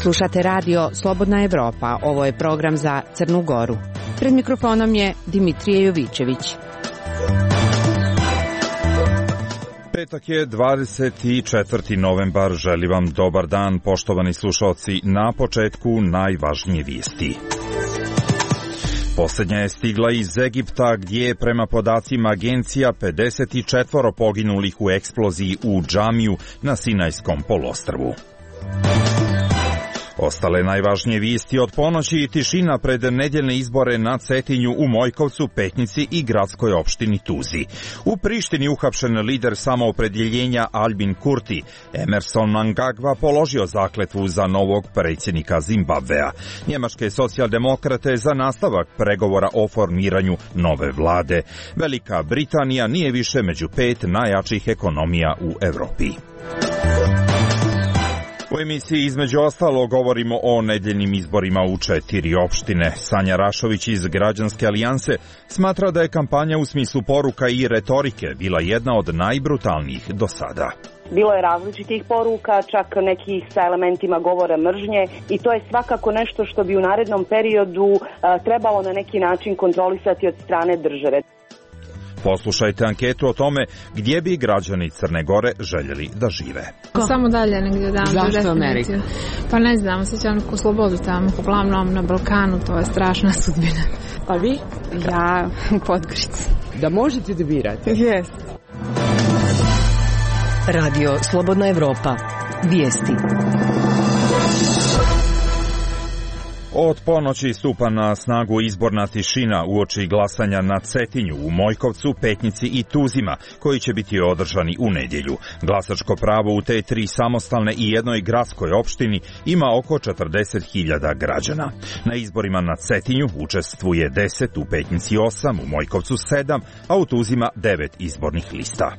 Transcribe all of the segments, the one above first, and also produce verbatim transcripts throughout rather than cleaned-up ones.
Slušate radio Slobodna Evropa. Ovo je program za Crnu Goru. Pred mikrofonom je Dimitrije Jovićević. Petak je dvadeset četvrti novembar. Želim vam dobar dan, poštovani slušalci. Na početku najvažnije vijesti. Posljednja je stigla iz Egipta, gdje je prema podacima agencija pedeset četiri poginulih u eksploziji u džamiju na Sinajskom poluostrvu. Ostale najvažnije vijesti od ponoći i tišina pred nedjeljne izbore na Cetinju u Mojkovcu, Petnici i gradskoj opštini Tuzi. U Prištini uhapšen lider samoopredjeljenja Albin Kurti. Emerson Mnangagwa položio zakletvu za novog predsjednika Zimbabvea. Njemačke socijaldemokrate za nastavak pregovora o formiranju nove vlade. Velika Britanija nije više među pet najjačih ekonomija u Europi. U emisiji između ostalo govorimo o nedjeljnim izborima u četiri opštine. Sanja Rašović iz Građanske alijanse smatra da je kampanja u smislu poruka i retorike bila jedna od najbrutalnijih do sada. Bilo je različitih poruka, čak nekih sa elementima govora mržnje i to je svakako nešto što bi u narednom periodu a, trebalo na neki način kontrolisati od strane države. Poslušajte anketu o tome gdje bi građani Crne Gore željeli da žive. Samo dalje negdje dam. Zašto Amerika? Pa ne znam, osjećam neku slobodu tamo, uglavnom na Balkanu, to je strašna sudbina. A vi? Ja u Podgorici. Da možete da birate? Jest. Radio Slobodna Evropa. Vijesti. Od ponoći stupa na snagu izborna tišina uoči glasanja na Cetinju u Mojkovcu, Petnici i Tuzima, koji će biti održani u nedjelju. Glasačko pravo u te tri samostalne i jednoj gradskoj opštini ima oko četrdeset hiljada građana. Na izborima na Cetinju učestvuje deset, u Petnici osam, u Mojkovcu sedam, a u Tuzima devet izbornih lista.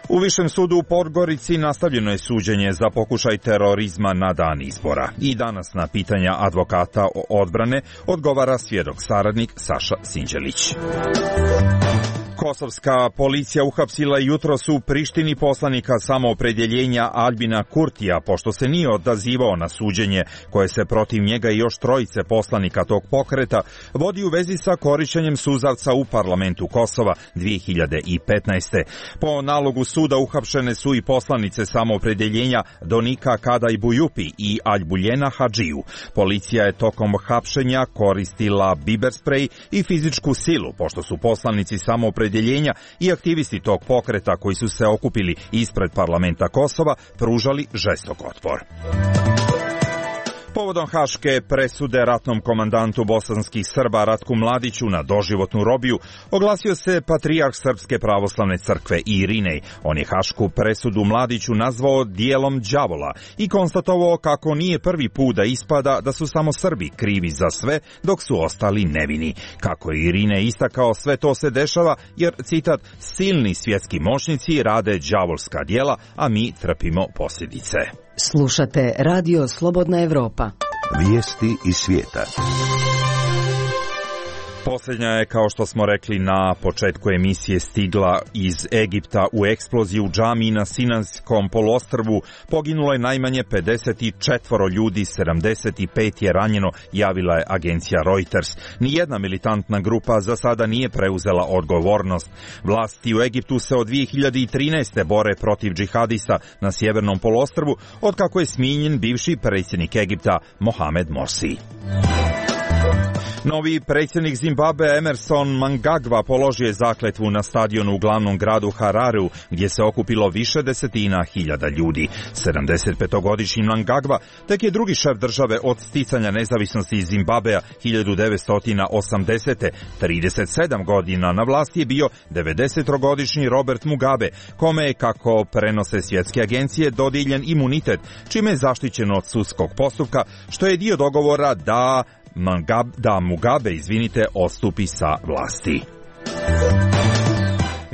U Višem sudu u Podgorici nastavljeno je suđenje za pokušaj terorizma na dan izbora. I danas na pitanja advokata odbrane odgovara svjedok saradnik Saša Sinđelić. Kosovska policija uhapsila jutros u Prištini poslanika samoopredjeljenja Albina Kurtija, pošto se nije odazivao na suđenje koje se protiv njega i još trojice poslanika tog pokreta vodi u vezi sa korišćenjem suzavca u parlamentu Kosova dvije hiljade petnaeste. Po nalogu suda uhapšene su i poslanice samoopredjeljenja Donika Kadaj Bujupi i Aljbuljena Hadžiju. Policija je tokom hapšenja koristila biber sprej i fizičku silu, pošto su poslanici samoopredjeljenja i aktivisti tog pokreta koji su se okupili ispred parlamenta Kosova pružali žestok otpor. Povodom haške presude ratnom komandantu bosanskih Srba Ratku Mladiću na doživotnu robiju oglasio se patrijarh Srpske pravoslavne crkve Irinej. On je hašku presudu Mladiću nazvao dijelom đavola i konstatovao kako nije prvi put da ispada da su samo Srbi krivi za sve dok su ostali nevini. Kako je Irinej istakao, sve to se dešava jer, citat, silni svjetski moćnici rade đavolska djela, a mi trpimo posljedice. Slušate Radio Slobodna Evropa. Vijesti iz svijeta. Posljednja je, kao što smo rekli na početku emisije, stigla iz Egipta. U eksploziji u džamiji na Sinajskom poluostrvu poginulo je najmanje pedeset četiri ljudi, sedamdeset pet je ranjeno, javila je agencija Reuters. Nijedna militantna grupa za sada nije preuzela odgovornost. Vlasti u Egiptu se od dvije hiljade trinaeste. bore protiv džihadista na sjevernom poluostrvu, otkako je smijenjen bivši predsjednik Egipta Mohamed Morsi. Novi predsjednik Zimbabvea Emerson Mnangagwa položio je zakletvu na stadionu u glavnom gradu Harareu, gdje se okupilo više desetina hiljada ljudi. sedamdesetpetogodišnji Mnangagwa tek je drugi šef države od sticanja nezavisnosti iz Zimbabvea hiljadu devetsto osamdesete. trideset sedam godina na vlasti je bio devedesetogodišnji Robert Mugabe, kome je, kako prenose svjetske agencije, dodijeljen imunitet, čime je zaštićen od sudskog postupka, što je dio dogovora da da Mugabe, izvinite, odstupi sa vlasti.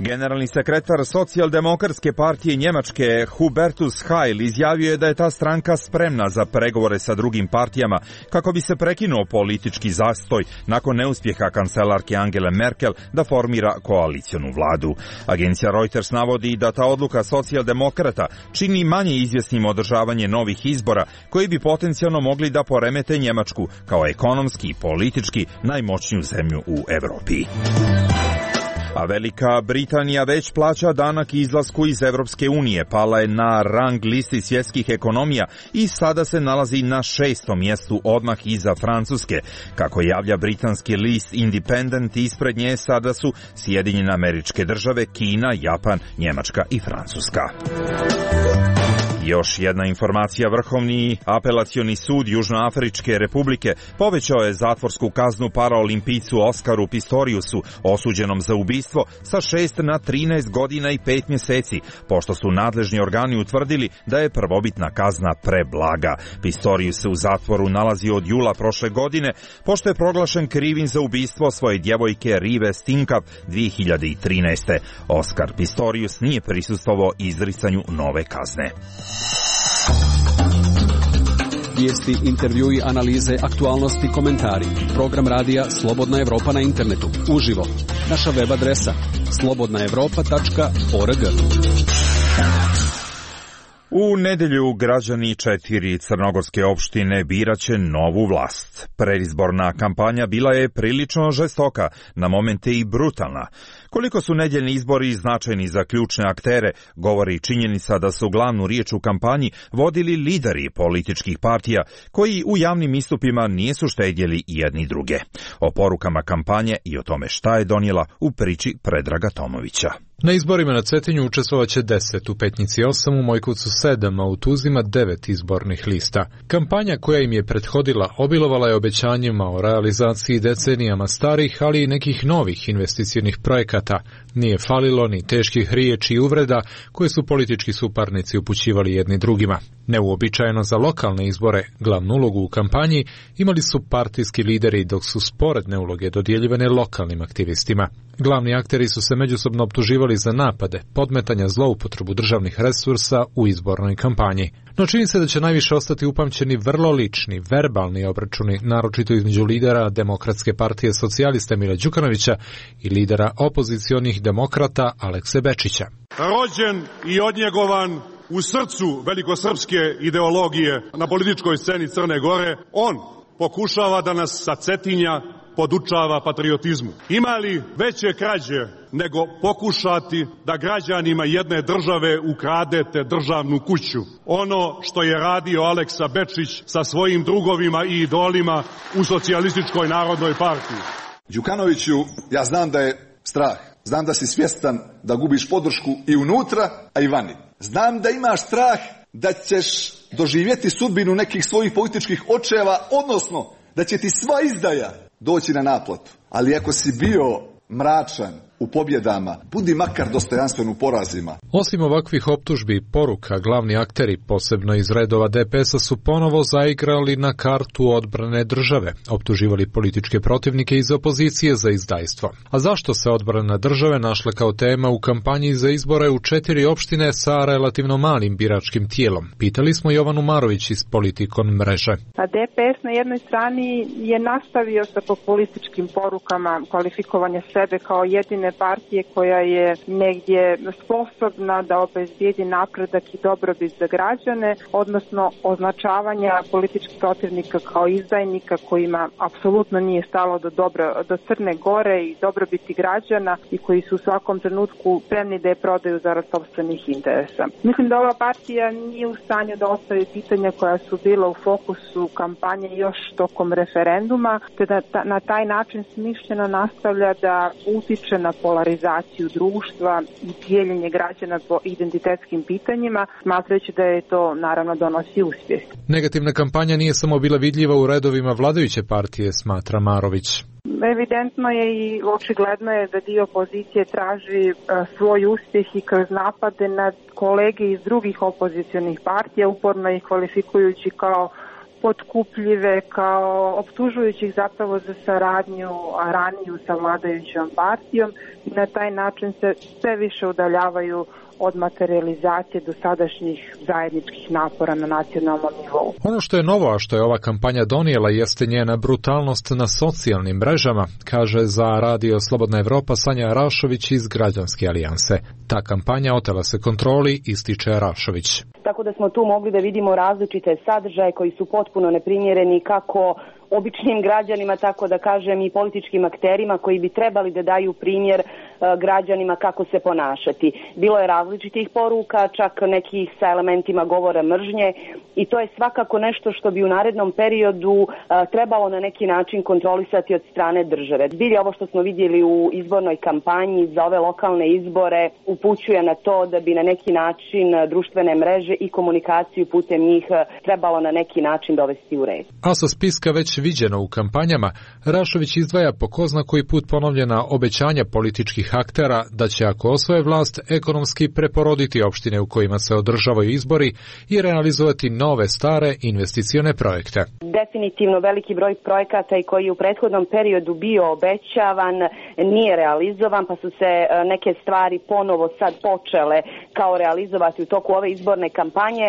Generalni sekretar Socijaldemokratske partije Njemačke Hubertus Heil izjavio je da je ta stranka spremna za pregovore sa drugim partijama kako bi se prekinuo politički zastoj nakon neuspjeha kancelarke Angele Merkel da formira koalicionu vladu. Agencija Reuters navodi da ta odluka socijaldemokrata čini manje izvjesnim održavanje novih izbora koji bi potencijalno mogli da poremete Njemačku kao ekonomski i politički najmoćniju zemlju u Evropi. A Velika Britanija već plaća danak izlasku iz Evropske unije, pala je na rang listi svjetskih ekonomija i sada se nalazi na šestom mjestu odmah iza Francuske. Kako javlja britanski list Independent, ispred nje sada su Sjedinjene Američke Države, Kina, Japan, Njemačka i Francuska. Još jedna informacija, Vrhovni apelacioni sud Južnoafričke republike povećao je zatvorsku kaznu paraolimpijcu Oskaru Pistoriusu, osuđenom za ubistvo, sa šest na trinaest godina i pet mjeseci, pošto su nadležni organi utvrdili da je prvobitna kazna preblaga. Pistorius se u zatvoru nalazi od jula prošle godine, pošto je proglašen krivim za ubistvo svoje djevojke Rive Stinkav dvije hiljade trinaeste. Oskar Pistorius nije prisustvovao izricanju nove kazne. Vijesti, intervjui, analize, aktualnosti, komentari. Program radija Slobodna Evropa na internetu. Uživo. Naša web adresa slobodna evropa tačka org. U nedjelju građani četiri crnogorske opštine biraće novu vlast. Predizborna kampanja bila je prilično žestoka, na momente i brutalna. Koliko su nedjeljni izbori značajni za ključne aktere, govori činjenica da su glavnu riječ u kampanji vodili lideri političkih partija, koji u javnim istupima nisu štedjeli jedni druge. O porukama kampanje i o tome šta je donijela u priči Predraga Tomovića. Na izborima na Cetinju učestvovaće deset, u Petnici osam, u Mojkovcu sedam, a u Tuzima devet izbornih lista. Kampanja koja im je prethodila obilovala je obećanjima o realizaciji decenijama starih, ali i nekih novih investicionih projekata. Nije falilo ni teških riječi i uvreda koje su politički suparnici upućivali jedni drugima. Neuobičajeno za lokalne izbore, glavnu ulogu u kampanji imali su partijski lideri, dok su sporedne uloge dodjeljivane lokalnim aktivistima. Glavni akteri su se međusobno optuživali za napade, podmetanja, zloupotrebu državnih resursa u izbornoj kampanji. No čini se da će najviše ostati upamćeni vrlo lični, verbalni obračuni, naročito između lidera Demokratske partije socijalista Mila Đukanovića i lidera opozicionih demokrata Alekse Bečića. Rođen i odnjegovan u srcu velikosrpske ideologije na političkoj sceni Crne Gore, on pokušava da nas sa Cetinja podučava patriotizmu. Ima li veće krađe nego pokušati da građanima jedne države ukradete državnu kuću? Ono što je radio Aleksa Bečić sa svojim drugovima i idolima u Socijalističkoj narodnoj partiji. Đukanoviću, ja znam da je strah. Znam da si svjestan da gubiš podršku i unutra, a i vani. Znam da imaš strah da ćeš doživjeti sudbinu nekih svojih političkih očeva, odnosno da će ti sva izdaja doći na naplatu. Ali ako si bio mračan u pobjedama, budi makar dostojanstven u porazima. Osim ovakvih optužbi i poruka, glavni akteri, posebno iz redova D P S-a, su ponovo zaigrali na kartu odbrane države, optuživali političke protivnike iz opozicije za izdajstvo. A zašto se odbrana države našla kao tema u kampanji za izbore u četiri opštine sa relativno malim biračkim tijelom? Pitali smo Jovanu Marović iz Politikon mreže. A D P S na jednoj strani je nastavio sa populističkim porukama kvalifikovanja sebe kao jedine partije koja je negdje sposobna da obezbijedi napredak i dobrobit za građane, odnosno označavanja političkih protivnika kao izdajnika kojima apsolutno nije stalo do, dobro, do Crne Gore i dobrobiti građana i koji su u svakom trenutku spremni da je prodaju zarad sopstvenih interesa. Mislim da ova partija nije u stanju da ostavi pitanja koja su bila u fokusu kampanje još tokom referenduma, te da ta, na taj način smišljeno nastavlja da utiče na polarizaciju društva i dijeljenje građana po identitetskim pitanjima, smatrajući da je to naravno donosi uspjeh. Negativna kampanja nije samo bila vidljiva u redovima vladajuće partije, smatra Marović. Evidentno je i očigledno je da dio opozicije traži uh, svoj uspjeh i kroz napade na kolege iz drugih opozicionih partija, uporno ih kvalifikujući kao potkupljive, kao optužujući zapravo za saradnju raniju sa vladajućom partijom i na taj način se sve više udaljavaju od materializacije dosadašnjih zajedničkih napora na nacionalnom nivou. Ono što je novo, a što je ova kampanja donijela, jeste njena brutalnost na socijalnim mrežama, kaže za Radio Slobodna Evropa Sanja Rašović iz Građanske alijanse. Ta kampanja otela se kontroli, ističe Rašović. Tako da smo tu mogli da vidimo različite sadržaje koji su potpuno neprimjereni kako običnim građanima, tako da kažem i političkim akterima koji bi trebali da daju primjer građanima kako se ponašati. Bilo je različitih poruka, čak nekih sa elementima govora mržnje i to je svakako nešto što bi u narednom periodu trebalo na neki način kontrolisati od strane države. Bilje ovo što smo vidjeli u izbornoj kampanji za ove lokalne izbore upućuje na to da bi na neki način društvene mreže i komunikaciju putem njih trebalo na neki način dovesti u red. A sa spiska već viđeno u kampanjama, Rašović izdvaja po ko zna koji put ponovljena obećanja političkih aktera da će, ako osvoje vlast, ekonomski preporoditi opštine u kojima se održavaju izbori i realizovati nove stare investicione projekte. Definitivno veliki broj projekata i koji je u prethodnom periodu bio obećavan nije realizovan, pa su se neke stvari ponovo sad počele kao realizovati u toku ove izborne kampanje,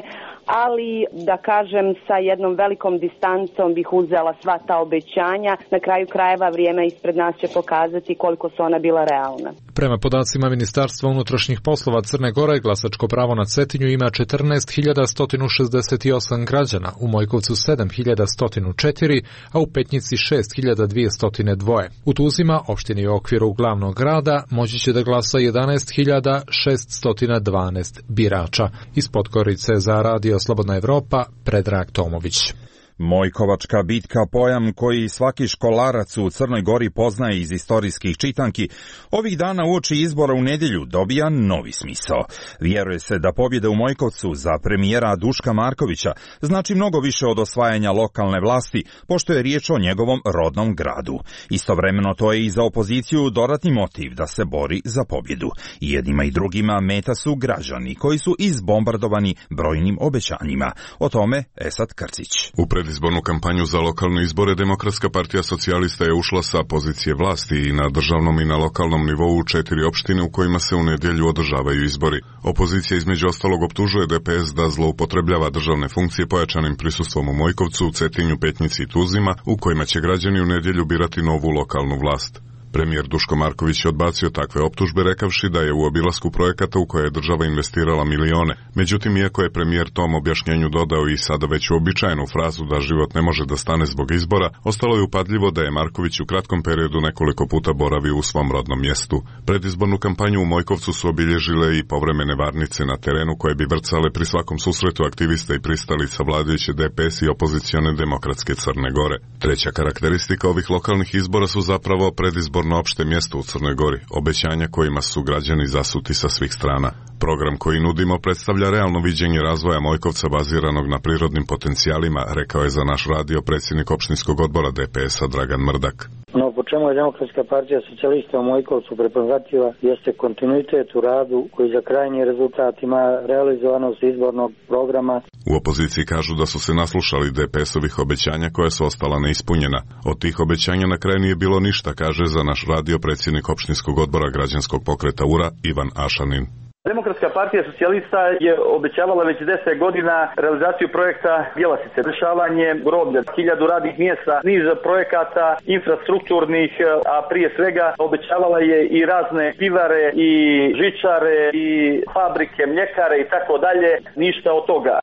ali da kažem sa jednom velikom distancom bih uzela sva ta obećanja. Na kraju krajeva vrijeme ispred nas će pokazati koliko su ona bila realna. Prema podacima Ministarstva unutrašnjih poslova Crne Gore, glasačko pravo na Cetinju ima četrnaest hiljada sto šezdeset osam građana, u Mojkovcu sedam hiljada sto četiri, a u Petnici šest hiljada dvjesto dva. U Tuzima, opštini u okviru glavnog grada, moći će da glasa jedanaest hiljada šeststo dvanaest birača. Iz Podgorice za Radio Slobodna Evropa, Predrag Tomović. Mojkovačka bitka, pojam koji svaki školarac u Crnoj Gori poznaje iz istorijskih čitanki, ovih dana uoči izbora u nedjelju dobija novi smisao. Vjeruje se da pobjeda u Mojkovcu za premijera Duška Markovića znači mnogo više od osvajanja lokalne vlasti, pošto je riječ o njegovom rodnom gradu. Istovremeno to je i za opoziciju dodatni motiv da se bori za pobjedu. I jednima i drugima meta su građani koji su izbombardovani brojnim obećanjima. O tome Esad Krcić. U predizbornu kampanju za lokalne izbore Demokratska partija socijalista je ušla sa pozicije vlasti i na državnom i na lokalnom nivou u četiri opštine u kojima se u nedjelju održavaju izbori. Opozicija između ostalog optužuje D P S da zloupotrebljava državne funkcije pojačanim prisustvom u Mojkovcu, Cetinju, Petnici i Tuzima, u kojima će građani u nedjelju birati novu lokalnu vlast. Premijer Duško Marković je odbacio takve optužbe rekavši da je u obilasku projekata u koje je država investirala milione. Međutim, iako je premijer tom objašnjenju dodao i sada već uobičajenu frazu da život ne može da stane zbog izbora, ostalo je upadljivo da je Marković u kratkom periodu nekoliko puta boravio u svom rodnom mjestu. Predizbornu kampanju u Mojkovcu su obilježile i povremene varnice na terenu koje bi vrcale pri svakom susretu aktivista i pristalica vladajuće D P S i opozicione Demokratske Crne Gore. Treća karakteristika ovih lokalnih izbora su zapravo predizbor na opšte mjesto u Crnoj Gori, obećanja kojima su građani zasuti sa svih strana. Program koji nudimo predstavlja realno viđenje razvoja Mojkovca baziranog na prirodnim potencijalima, rekao je za naš radio predsjednik opštinskog odbora D P S-a Dragan Mrdak. No, po čemu je Demokratska partija socijalista u Mojkovcu prepoznatljiva jeste kontinuitet u radu koji za krajnji rezultat ima realizovanost izbornog programa. U opoziciji kažu da su se naslušali D P S-ovih obećanja koja su ostala neispunjena. Od tih obećanja na kraju nije bilo ništa, kaže za naš radio predsjednik opštinskog odbora građanskog pokreta U R A Ivan Ašanin. Demokratska partija socijalista je obećavala već deset godina realizaciju projekta Bjelasice, rješavanje groblja, hiljadu radnih mjesta, niz projekata infrastrukturnih, a prije svega obećavala je i razne pivare i žičare i fabrike, mljekare i tako dalje, ništa od toga.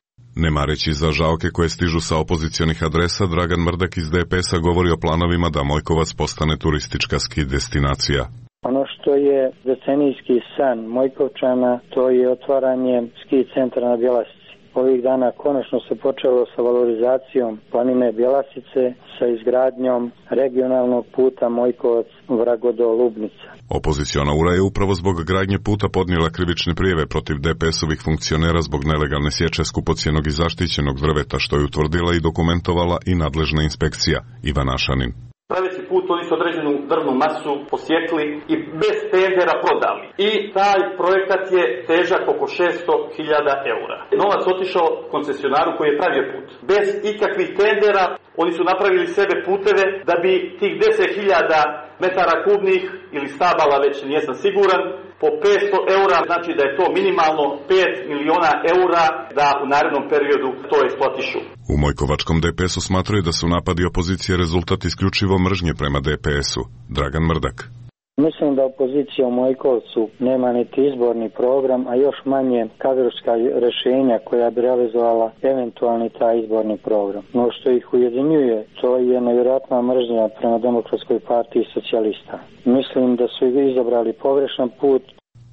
Ne mareći za žalke koje stižu sa opozicionih adresa, Dragan Mrdak iz D P S-a govori o planovima da Mojkovac postane turistička ski destinacija. Ono što je decenijski san Mojkovčana, to je otvaranje ski centra na Bjelasici. Ovih dana konačno se počelo sa valorizacijom planine Bjelasice, sa izgradnjom regionalnog puta Mojkovac-Vragodo-Lubnica. Opoziciona U R A je upravo zbog gradnje puta podnijela krivične prijeve protiv D P S-ovih funkcionera zbog nelegalne sječe skupocjenog i zaštićenog drveta, što je utvrdila i dokumentovala i nadležna inspekcija. Ivan Ašanin. Praviti put oni su određenu drvnu masu posjekli i bez tendera prodali. I taj projekat je težak oko šesto hiljada eura. Novac otišao koncesionaru koji je pravio put. Bez ikakvih tendera oni su napravili sebe puteve da bi tih deset hiljada metara kubnih ili stabala, već nisam siguran, po petsto eura, znači da je to minimalno pet miliona eura da u narednom periodu to eksploatišu. U Mojkovačkom D P S-u smatraju da su napadi opozicije rezultat isključivo mržnje prema D P S-u. Dragan Mrdak. Mislim da opozicija u Mojkovcu nema niti izborni program, a još manje kadrovska rješenja koja bi realizovala eventualni taj izborni program. No što ih ujedinjuje, to je nevjerojatna mržnja prema Demokratskoj partiji socijalista. Mislim da su izabrali pogrešan put.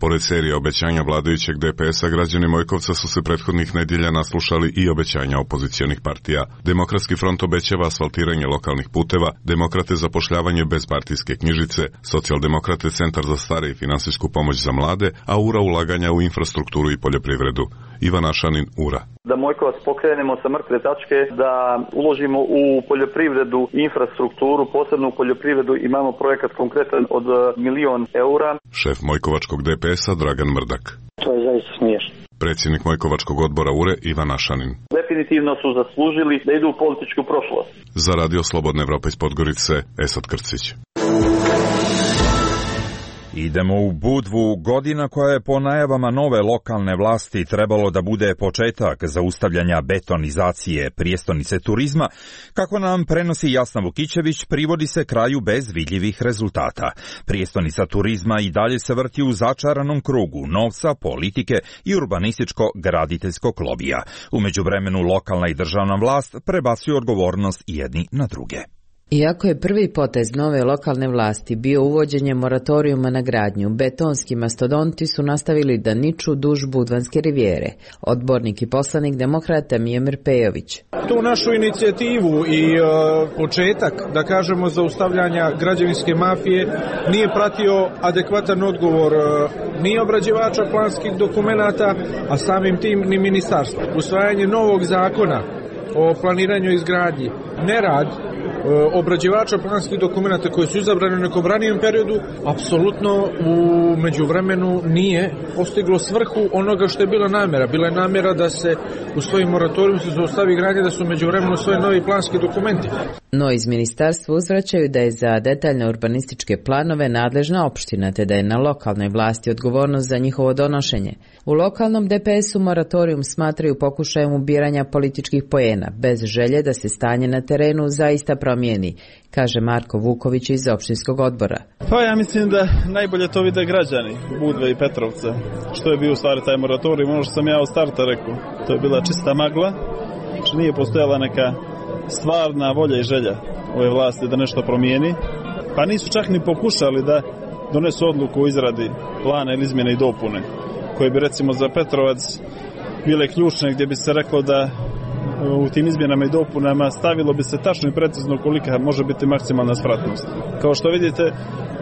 Pored serije obećanja vladajućeg D P S-a, građani Mojkovca su se prethodnih nedjelja naslušali i obećanja opozicionih partija. Demokratski front obećava asfaltiranje lokalnih puteva, Demokrate zapošljavanje bez partijske knjižice, Socijaldemokrate centar za stare i finansijsku pomoć za mlade, a U R A ulaganja u infrastrukturu i poljoprivredu. Ivan Ašanin, U R A. Da Mojkovac pokrenemo sa mrtve tačke, da uložimo u poljoprivredu i infrastrukturu, posebno u poljoprivredu imamo projekat konkretan od milion eura. Šef Mojkovačkog D P S-a Dragan Mrdak. To je zaista smiješno. Predsjednik Mojkovačkog odbora U R E Ivan Ašanin. Definitivno su zaslužili da idu u političku prošlost. Za Radio Slobodna Evropa iz Podgorice, Esad Krcić. Idemo u Budvu, godina koja je po najavama nove lokalne vlasti trebalo da bude početak zaustavljanja betonizacije prijestonice turizma, kako nam prenosi Jasna Vukićević, privodi se kraju bez vidljivih rezultata. Prijestonica turizma i dalje se vrti u začaranom krugu novca, politike i urbanističko-graditeljskog lobija. U međuvremenu lokalna i državna vlast prebacuju odgovornost jedni na druge. Iako je prvi potez nove lokalne vlasti bio uvođenje moratorijuma na gradnju, betonski mastodonti su nastavili da niču duž Budvanske rivijere. Odbornik i poslanik Demokrata Mijomir Pejović. Tu našu inicijativu i e, početak, da kažemo, zaustavljanja građevinske mafije nije pratio adekvatan odgovor e, ni obrađivača planskih dokumenata, a samim tim ni ministarstva. Usvajanje novog zakona o planiranju i izgradnji, nerad obrađivača planskih dokumenta koji su izabrani u nekom ranijem periodu, apsolutno u međuvremenu nije postiglo svrhu onoga što je bila namjera. Bila je namjera da se u svojim moratorijum se zaustavi gradnja, da su u međuvremenu svoje novi planski dokumenti. No iz ministarstva uzvraćaju da je za detaljne urbanističke planove nadležna opština, te da je na lokalnoj vlasti odgovornost za njihovo donošenje. U lokalnom D P S-u moratorijum smatraju pokušajem ubiranja političkih poena, bez želje da se stanje na terenu zaista promijeni, kaže Marko Vuković iz opštinskog odbora. Pa ja mislim da najbolje to vide građani Budve i Petrovca. Što je bio u stvari taj moratorij, ono što sam ja od starta rekao, to je bila čista magla, što nije postojala neka stvarna volja i želja ove vlasti da nešto promijeni. Pa nisu čak ni pokušali da donesu odluku o izradi plana ili izmjene i dopune, koje bi recimo za Petrovac bile ključne, gdje bi se reklo da u tim izmjenama i dopunama stavilo bi se tačno i precizno kolika može biti maksimalna spratnost. Kao što vidite,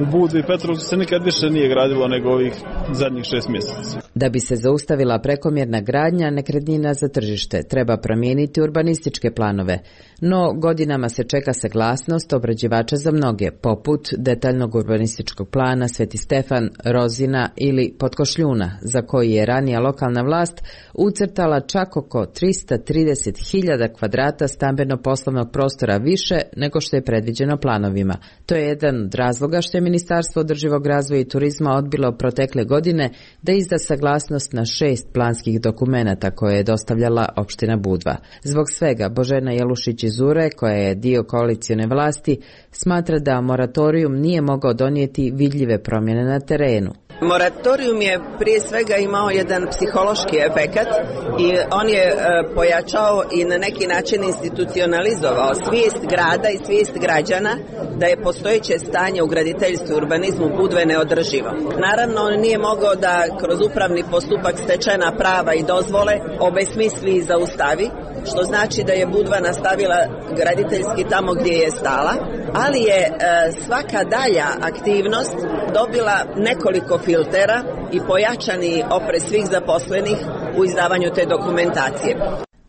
u Budvi i Petrovcu se nikad više nije gradilo nego ovih zadnjih šest mjeseca. Da bi se zaustavila prekomjerna gradnja nekretnina za tržište, treba promijeniti urbanističke planove. No, godinama se čeka saglasnost obrađivača za mnoge, poput detaljnog urbanističkog plana Sveti Stefan, Rozina ili Potkošljuna, za koji je ranija lokalna vlast ucrtala čak oko trista trideset hiljada kvadrata stambeno-poslovnog prostora više nego što je predviđeno planovima. To je jedan od razloga što je Ministarstvo održivog razvoja i turizma odbilo protekle godine da izda saglasnost na šest planskih dokumenata koje je dostavljala opština Budva. Zbog svega, Božena Jelušić iz U R E, koja je dio koalicione vlasti, smatra da moratorijum nije mogao donijeti vidljive promjene na terenu. Moratorijum je prije svega imao jedan psihološki efekat i on je e, pojačao i na neki način institucionalizovao svijest grada i svijest građana da je postojeće stanje u graditeljstvu i urbanizmu Budve neodrživo. Naravno, on nije mogao da kroz upravni postupak stečena prava i dozvole obesmisli i zaustavi, što znači da je Budva nastavila graditeljski tamo gdje je stala, ali je e, svaka dalja aktivnost dobila nekoliko filtera i pojačani oprez svih zaposlenih u izdavanju te dokumentacije.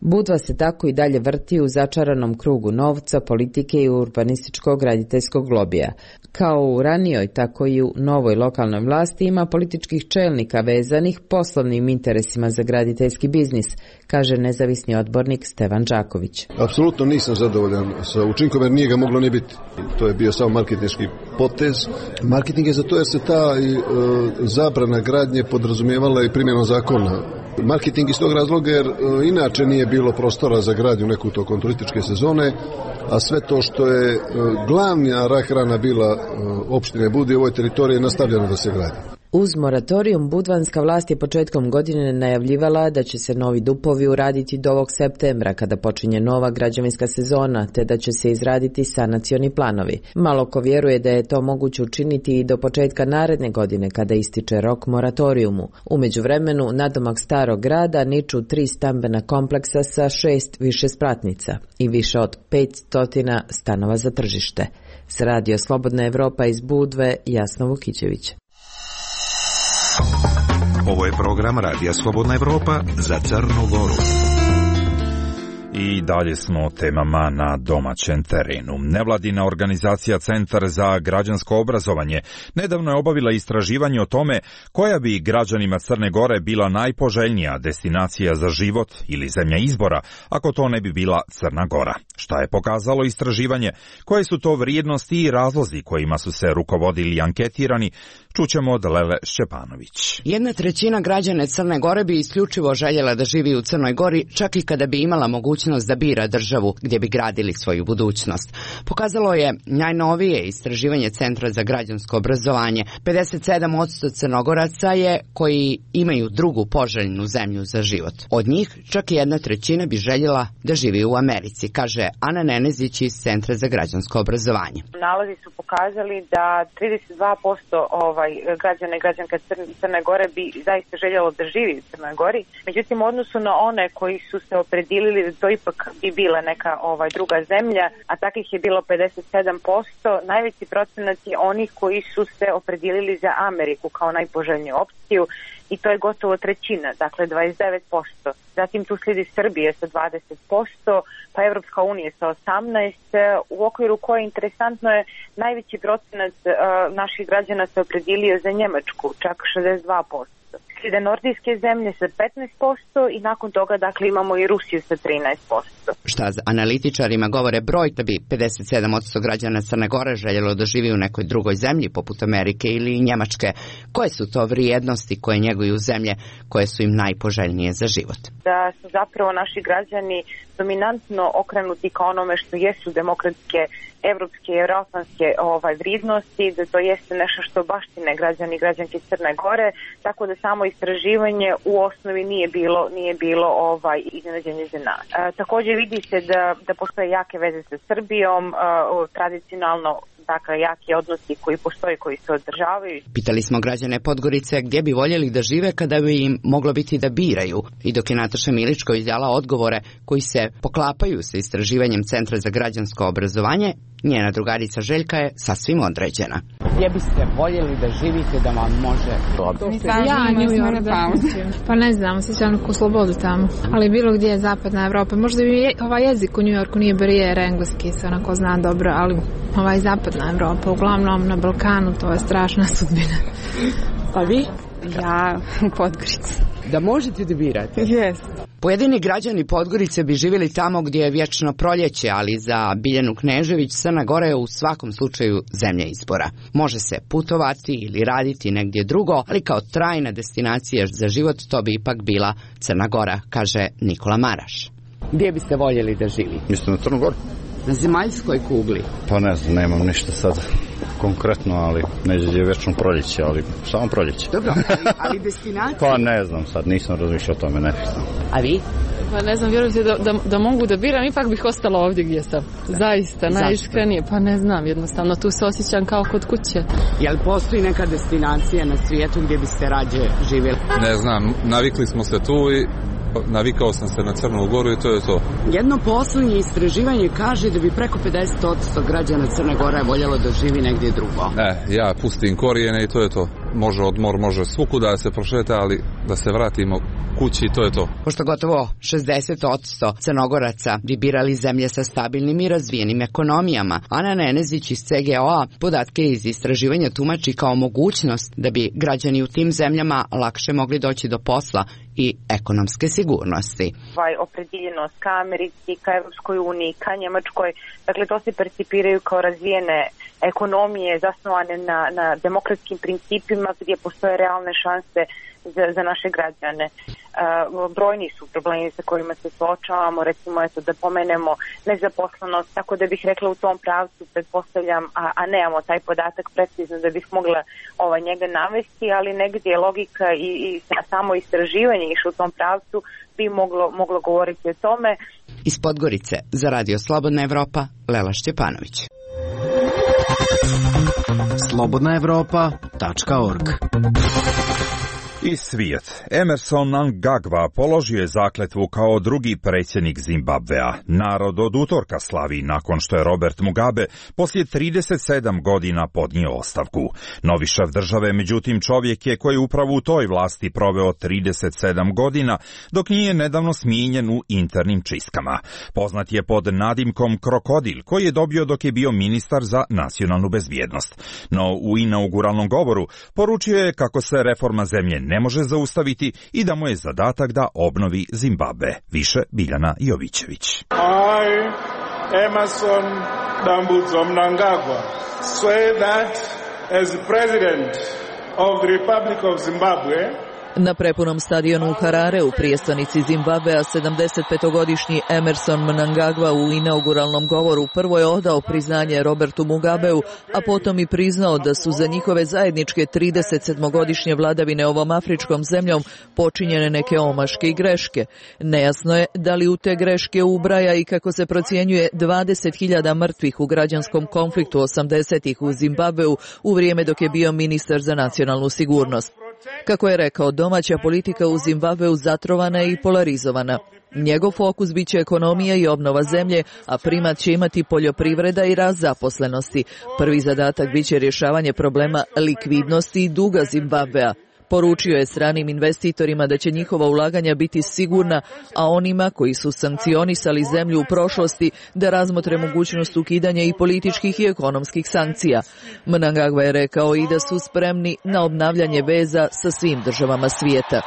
Budva se tako i dalje vrti u začaranom krugu novca, politike i urbanističkog graditeljskog lobija. Kao u ranijoj, tako i u novoj lokalnoj vlasti ima političkih čelnika vezanih poslovnim interesima za graditeljski biznis, kaže nezavisni odbornik Stevan Đaković. Apsolutno nisam zadovoljan sa učinkom jer nije ga moglo ni biti. To je bio samo marketinški potez. Marketing je za to jer se ta i, e, zabrana gradnje podrazumijevala i primjenom zakona. Marketing iz tog razloga jer e, inače nije bilo prostora za gradnju neku tokom turističke sezone, a sve to što je e, glavna rak rana bila e, opštine Budve u ovoj teritoriji je nastavljeno da se gradi. Uz moratorijum, budvanska vlast je početkom godine najavljivala da će se novi dupovi uraditi do ovog septembra kada počinje nova građevinska sezona, te da će se izraditi sanacioni planovi. Malo ko vjeruje da je to moguće učiniti i do početka naredne godine kada ističe rok moratorijumu. U međuvremenu, nadomak starog grada niču tri stambena kompleksa sa šest višespratnica i više od petsto stanova za tržište. S Radio Slobodna Evropa iz Budve, Jasna Vukićević. Ovo je program Radija Slobodna Evropa za Crnu Goru. I dalje smo o temama na domaćem terenu. Nevladina organizacija Centar za građansko obrazovanje nedavno je obavila istraživanje o tome koja bi građanima Crne Gore bila najpoželjnija destinacija za život ili zemlja izbora, ako to ne bi bila Crna Gora. Šta je pokazalo istraživanje? Koje su to vrijednosti i razlozi kojima su se rukovodili anketirani? Čućemo od Lele Šćepanović. Jedna trećina građana Crne Gore bi isključivo željela da živi u Crnoj Gori, čak i kada bi imala mogućnost da bira državu gdje bi gradili svoju budućnost. Pokazalo je najnovije istraživanje Centra za građansko obrazovanje. pedeset sedam posto Crnogoraca je koji imaju drugu poželjnu zemlju za život. Od njih čak i jedna trećina bi željela da živi u Americi, kaže Ana Nenezić iz Centra za građansko obrazovanje. Nalazi su pokazali da trideset dva posto ovaj građana i građanka Crne Gore bi zaista željelo da živi u Crnoj Gori. Međutim, u odnosu na one koji su se opredjelili da to ipak bi bila neka ovaj druga zemlja, a takvih je bilo pedeset sedam posto, najveći procenat je onih koji su se opredjelili za Ameriku kao najpoželjniju opciju i to je gotovo trećina, dakle dvadeset devet posto. Zatim tu slijedi Srbija sa dvadeset posto, pa Evropska unija sa osamnaest posto, u okviru koje interesantno je najveći procenat uh, naših građana se opredjelio za Njemačku, čak šezdeset dva posto. Slijede nordijske zemlje sa petnaest posto i nakon toga dakle imamo i Rusiju sa trinaest posto. Šta za analitičarima govore broj da bi pedeset sedam posto građana Crne Gore željelo da živi u nekoj drugoj zemlji poput Amerike ili Njemačke. Koje su to vrijednosti koje njeguju zemlje koje su im najpoželjnije za život? Da su zapravo naši građani dominantno okrenuti ka onome što jesu demokratske evropske i euroatlantske ovaj, vrijednosti, da to jeste nešto što baštine građani i građanke Crne Gore, tako da samo istraživanje u osnovi nije bilo, nije bilo ovaj, iznenađenje za nas. E, također vidi se da, da postoje jake veze sa Srbijom, e, tradicionalno dakle jaki odnosi koji postoje, koji se održavaju. Pitali smo građane Podgorice gdje bi voljeli da žive kada bi im moglo biti da biraju. I dok je Nataša Miličković dala odgovore koji se poklapaju sa istraživanjem Centra za građansko obrazovanje, njena drugarica Željka je sasvim određena. Gdje biste voljeli da živite da vam može dobro? Ja, New York, da. Pa ne znam, osjećam neku slobodu tamo. Ali bilo gdje je zapadna Evropa. Možda bi je, ovaj jezik u New Yorku nije barijera, engleski se onako zna dobro, ali ovaj zapadna Evropa, uglavnom na Balkanu, to je strašna sudbina. Pa vi? Ja u Podgorici. Da možete da birate? Yes. Pojedini građani Podgorice bi živjeli tamo gdje je vječno proljeće, ali za Biljanu Knežević Crna Gora je u svakom slučaju zemlja izbora. Može se putovati ili raditi negdje drugo, ali kao trajna destinacija za život to bi ipak bila Crna Gora, kaže Nikola Maraš. Gdje biste voljeli da živite? Mislim na Crnu Goru. Na zemaljskoj kugli? Pa ne znam, nemam ništa sad konkretno, ali neđe je vječno proljeće, ali samo proljeće. Dobro, ali, ali destinacija? Pa ne znam sad, nisam razmišljao o tome, ne znam. A vi? Pa ne znam, vjerujem se da, da, da mogu da biram, ipak bih ostala ovdje gdje sam. Zaista, najiskrenije. Pa ne znam, jednostavno, tu se osjećam kao kod kuće. Jel postoji neka destinacija na svijetu gdje biste rađe živjeli? Ne znam, navikli smo se tu i navikao sam se na Crnu Goru i to je to. Jedno posljednje istraživanje kaže da bi preko pedeset posto građana Crne Gore voljelo da živi negdje drugo. Ne, ja pustim korijene i to je to. može odmor, može svukuda da se prošeta, ali da se vratimo kući, to je to. Pošto gotovo šezdeset posto Crnogoraca bi birali zemlje sa stabilnim i razvijenim ekonomijama, Ana Nenezić iz C G O A podatke iz istraživanja tumači kao mogućnost da bi građani u tim zemljama lakše mogli doći do posla i ekonomske sigurnosti. Ovaj opredjeljenost ka Americi, ka Evropskoj uniji, ka Njemačkoj, dakle to se percipiraju kao razvijene ekonomije zasnovane na, na demokratskim principima gdje postoje realne šanse za, za naše građane. Uh, brojni su problemi sa kojima se suočavamo, recimo eto da pomenemo nezaposlenost, tako da bih rekla u tom pravcu pretpostavljam, a, a nemamo taj podatak precizno da bih mogla ovaj, njega navesti, ali negdje je logika i, i samo istraživanje išlo u tom pravcu bi moglo, moglo govoriti o tome. Iz Podgorice za Radio Slobodna Evropa, Lela Šćepanović. slobodna evropa tačka org. I svijet. Emerson Mnangagwa položio je zakletvu kao drugi predsjednik Zimbabvea. Narod od utorka slavi nakon što je Robert Mugabe poslije trideset sedam godina podnio ostavku. Novi šef države, međutim, čovjek je koji upravo u toj vlasti proveo trideset sedam godina, dok nije nedavno smijenjen u internim čistkama. Poznat je pod nadimkom Krokodil, koji je dobio dok je bio ministar za nacionalnu bezbjednost. No u inauguralnom govoru poručio je kako se reforma zemlje ne može zaustaviti i da mu je zadatak da obnovi Zimbabve. Više Biljana Jovićević. I, Emerson Dambudzo Mnangagwa, swear that as president of the Republic of Zimbabwe, na prepunom stadionu u Harare u prijestolnici Zimbabvea sedamdesetpetogodišnji Emerson Mnangagwa u inauguralnom govoru prvo je odao priznanje Robertu Mugabeu, a potom i priznao da su za njihove zajedničke trideset sedmogodišnje vladavine ovom afričkom zemljom počinjene neke omaške i greške. Nejasno je da li u te greške ubraja i kako se procjenjuje dvadeset hiljada mrtvih u građanskom konfliktu osamdesetih u Zimbabveu u vrijeme dok je bio ministar za nacionalnu sigurnost. Kako je rekao, domaća politika u Zimbabveu zatrovana je i polarizovana. Njegov fokus bit će ekonomija i obnova zemlje, a primat će imati poljoprivreda i rast zaposlenosti. Prvi zadatak bit će rješavanje problema likvidnosti i duga Zimbabvea. Poručio je stranim investitorima da će njihova ulaganja biti sigurna, a onima koji su sankcionisali zemlju u prošlosti da razmotre mogućnost ukidanja i političkih i ekonomskih sankcija. Mnangagwa je rekao i da su spremni na obnavljanje veza sa svim državama svijeta.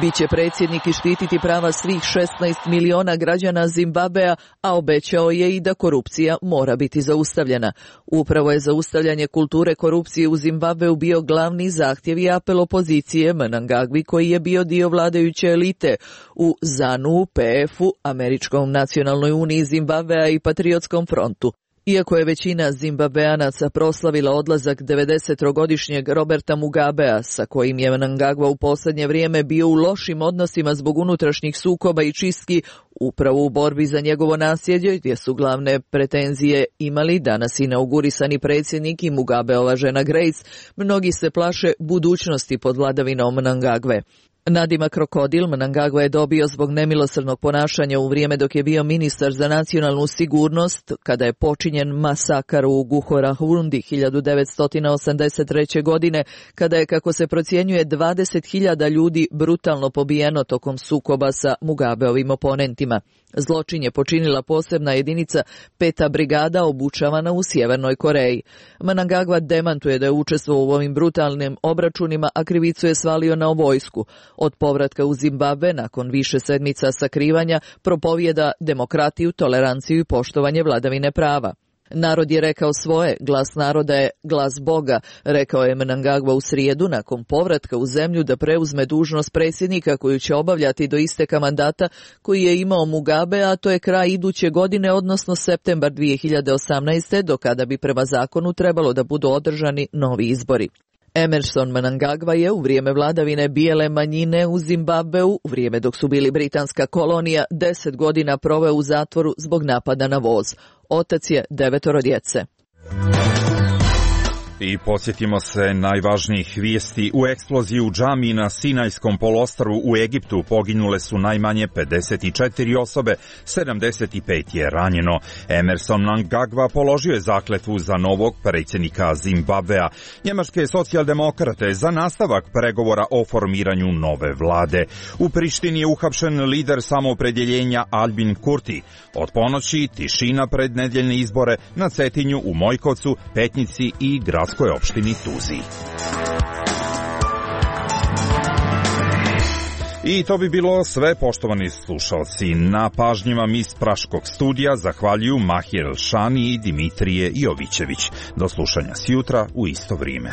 Biće predsjednik i štititi prava svih šesnaest miliona građana Zimbabvea, a obećao je i da korupcija mora biti zaustavljena. Upravo je zaustavljanje kulture korupcije u Zimbabveu bio glavni zahtjev i apel opozicije Mnangagwi, koji je bio dio vladajuće elite u ZANU, P F-u, Američkom nacionalnoj uniji Zimbabvea i Patriotskom frontu. Iako je većina Zimbabveanaca proslavila odlazak devedesetogodišnjeg Roberta Mugabea, sa kojim je Mnangagwa u posljednje vrijeme bio u lošim odnosima zbog unutrašnjih sukoba i čistki, upravo u borbi za njegovo nasljeđe, gdje su glavne pretenzije imali danas inaugurisani predsjednik i Mugabeova žena Grace, mnogi se plaše budućnosti pod vladavinom Mnangagwe. Nadimak Krokodil Mnangagwa je dobio zbog nemilosrdnog ponašanja u vrijeme dok je bio ministar za nacionalnu sigurnost, kada je počinjen masakar u Guhorahundi hiljadu devetsto osamdeset treće. godine, kada je, kako se procjenjuje, dvadeset hiljada ljudi brutalno pobijeno tokom sukoba sa Mugabeovim oponentima. Zločin je počinila posebna jedinica peta brigada obučavana u Sjevernoj Koreji. Mnangagwa demantuje da je učestvovao u ovim brutalnim obračunima, a krivicu je svalio na vojsku. Od povratka u Zimbabve, nakon više sedmica sakrivanja, propovijeda demokratiju, toleranciju i poštovanje vladavine prava. Narod je rekao svoje, glas naroda je glas Boga, rekao je Mnangagwa u srijedu nakon povratka u zemlju da preuzme dužnost predsjednika koju će obavljati do isteka mandata koji je imao Mugabe, a to je kraj iduće godine, odnosno septembar dvije hiljade osamnaeste. do kada bi prema zakonu trebalo da budu održani novi izbori. Emerson Mnangagwa je u vrijeme vladavine bijele manjine u Zimbabveu, u vrijeme dok su bili britanska kolonija, deset godina proveo u zatvoru zbog napada na voz. Otac je devetoro djece. I podsjetimo se najvažnijih vijesti. U eksploziji u džamiji na Sinajskom poluostrvu u Egiptu poginule su najmanje pedeset četiri osobe, sedamdeset pet je ranjeno. Emerson Mnangagwa položio je zakletvu za novog predsjednika Zimbabvea. Njemačke socijaldemokrate za nastavak pregovora o formiranju nove vlade. U Prištini je uhapšen lider samoopredjeljenja Albin Kurti. Od ponoći tišina pred nedjeljne izbore na Cetinju, u Mojkovcu, Petnici i gradskoj opštini Tuzi. I to bi bilo sve, poštovani slušalci. Na pažnjima iz Praškog studija zahvaljuju Mahir Elšani i Dimitrije Jovićević. Do slušanja sjutra u isto vrijeme.